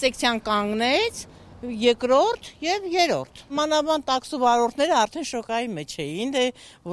սեկցիան կանգնեց, երկրորդ եւ երրորդ։ Մանավանդ տաքսու վարորդները արդեն շոկայի մեջ էին,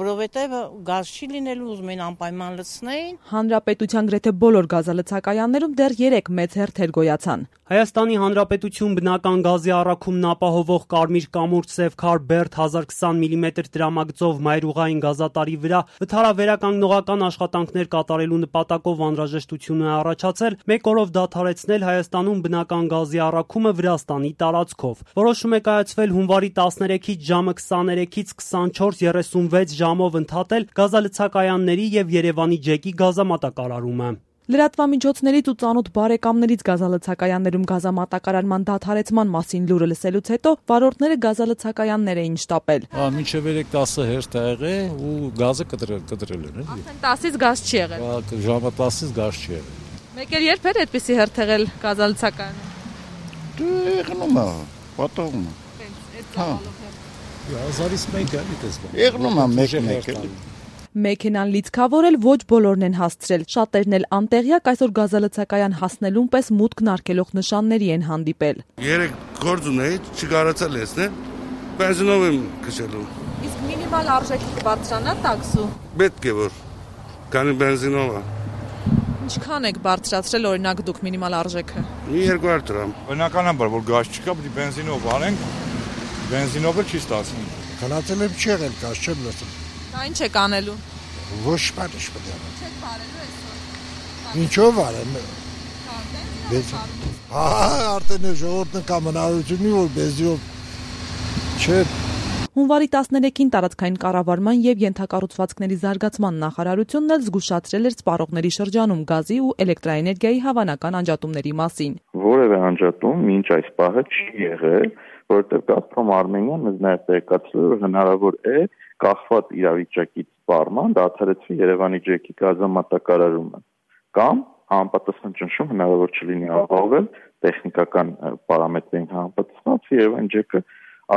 որովհետեւ գազ չի լինելու, ուզում են անպայման լցնեին։ Հանրապետության գրեթե բոլոր գազալցակայաններում դեռ 3 մեծ հերթեր գոյացան։ Հայաստանի Հանրապետություն բնական գազի առաքումն ապահովող Կարմիր կամուրջ Սևքար Բերդ 1020 մմ դրամագծով մայրուղային գազատարի վրա վթարավերականգնողական աշխատանքներ կատարելու նպատակով անհրաժեշտություն է առաջացել 1 օրով դադարեցնել Հայաստանում բնական գազի առաքումը Վրաստանի տարածքով։ Որոշում է կայացվել հունվարի 13-ից ժամը 23-ից 24:36 ժամով ընդհատել գազալցակայանների եւ Երևանի ջեկի գազամատակարարումը։ Լրատվամիջոցներից ու ծանոթ բարեկամներից գազալցակայաններում գազամատակարարման դադարեցման մասին լուրը լսելուց հետո վարորդները գազալցակայաններ էին շտապել։ Մինչև 10 հերթ է եղել ու գազը կտրել են։ Արդեն 10-ից գազ չի եղել։ Ժամը 10-ից գազ չի եղել։ Մեկ էլ երբ էր այդպիսի հերթ եղել գազալցակայանում։ Եղնում է, պատողում է։ Հազարից մեկ է, եղնում է մեկ։ Մեքենան լիցքավորել ոչ բոլորն են հասցրել։ Շատերն էլ անտեղյակ այսօր գազալցակայան հասնելուն պես մուտքն արգելող նշանների են հանդիպել։ 3 գործ ունեի, չկարողացա լեցնել, բենզինով եմ քշելու։ Իսկ մինիմալ արժեքի կբարձրանա տաքսու։ Պետք է որ, քանի բենզինով է։ Ինչքան եք բարձրացրել օրինակ դուք մինիմալ արժեքը։ 200 դրամ։ Բնականաբար որ գազ չկա, պետք է բենզինով անենք, բենզինովը չի ստացվում։ Քնածել եմ չի եղել, գազ չեմ լսում։ Դա ինչ եք անելու։ Ոչ բան ինչ պետք է անեմ։ Չեք բարելու այսօր։ Ինչով արեմ։ Արդեն ժողովուրդն կա մնալությունի որ բենզինով չէ։ Հունվարի 13-ին տարածքային կառավարման եւ ենթակառուցվածքների զարգացման նախարարությունն էլ զգուշացրել էր սպառողների շրջանում գազի ու էլեկտրաէներգիայի հավանական անջատումների մասին։ Որևէ անջատում մինչ այս պահը չի եղել, որովհետեւ Գազպրոմ Արմենիան մեզ նաեւ տեղեկացրել որ հնարավոր է կախված իրավիճակից սպառման դադարեցվի Երևանի ջեկի գազամատակարարումը կամ համապատասխան ճնշում հնարավոր չլինի ապահովել տեխնիկական պարամետրերին համապատասխանած Երևանի ջեկը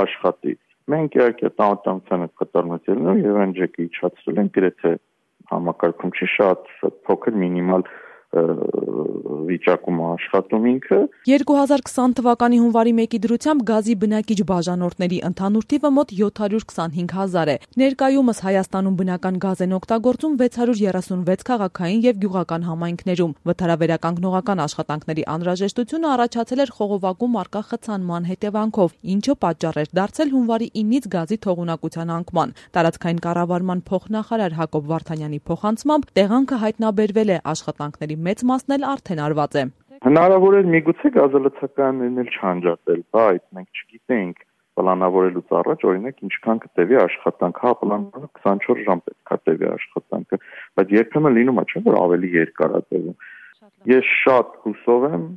աշխատի։ Մենք իհարկե տանտամության հետ կատարնություններով Երևանի ջեկը իջացրել են գրեթե համակարգում չի շատ փոքր մինիմալ վիճակում աշխատում ինքը 2020 թվականի հունվարի 1-ի դրությամբ գազի բնակիչ բաժանորդների ընդհանուր թիվը մոտ 725,000 է։ Ներկայումս Հայաստանում բնական գազ են օգտագործում 636 քաղաքային եւ գյուղական համայնքներում։ Վթարավերականգնողական աշխատանքների անհրաժեշտությունը առաջացել էր խողովակում առկա խցանման հետևանքով, ինչը պատճառ էր դարձել հունվարի 9-ից գազի թողունակության անկման։ Տարածքային կառավարման փոխնախարար Հակոբ Վարդանյանի փոխանցմամբ տեղանքը հայտնաբերվել է, աշխատանքների մեծ մասն էլ արդեն արված է։ Հնարավոր է միգուցե գազալցակայաններն էլ չանջատել, բայց մենք չգիտենք պլանավորելուց առաջ օրինակ ինչքան կտևի աշխատանքը, պլանավորվում 24 ժամ պետք է տևի աշխատանքը, բայց երբեմն լինում է չէ՞ որ ավելի երկար է տևում։ Ես շատ հուսով եմ,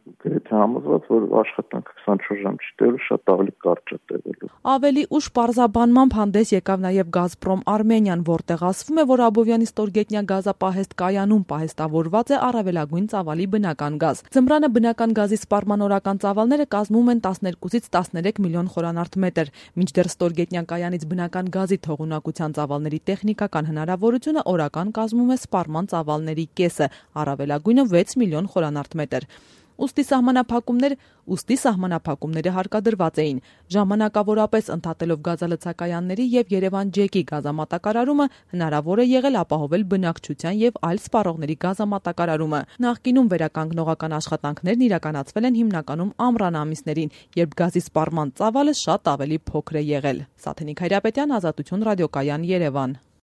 գրեթե համոզված, որ աշխատանքը 24 ժամ չի տևելու, շատ ավելի կարճ է տևելու։ Ավելի ուշ պարզաբանմամբ հանդես եկավ նաև Գազպրոմ Արմենիան, որտեղ ասվում է, որ Աբովյանի ստորգետնյա գազապահեստ կայանում պահեստավորված է առավելագույն ծավալի բնական գազ։ Ձմռանը բնական գազի սպառման օրական ծավալները կազմում են 12-ից 13 միլիոն խորանարդ մետր, մինչդեռ ստորգետնյա կայանից բնական գազի թողունակության ծավալների տեխնիկական հնարավորությունը օրական կազմում է սպառման ծավալների կեսը, առավելագույնը 6 միլիոն խորանարդ մետր։ Ուստի սահմանափակումները հարկադրված էին։ Ժամանակավորապես ընդհատելով գազալցակայանների եւ Երևան ջեկի գազամատակարարումը հնարավոր է եղել ապահովել բնակչության եւ այլ սպառողների գազամատակարարումը։ Նախկինում վերականգնողական աշխատանքներն իրականացվել են հիմնականում ամռան ամիսներին, երբ գազի սպառման ծավալը շատ ավելի փոքր է եղել։ Սաթենիկ Հայրապետյան, Ազատություն ռադիոկայան, Երևան։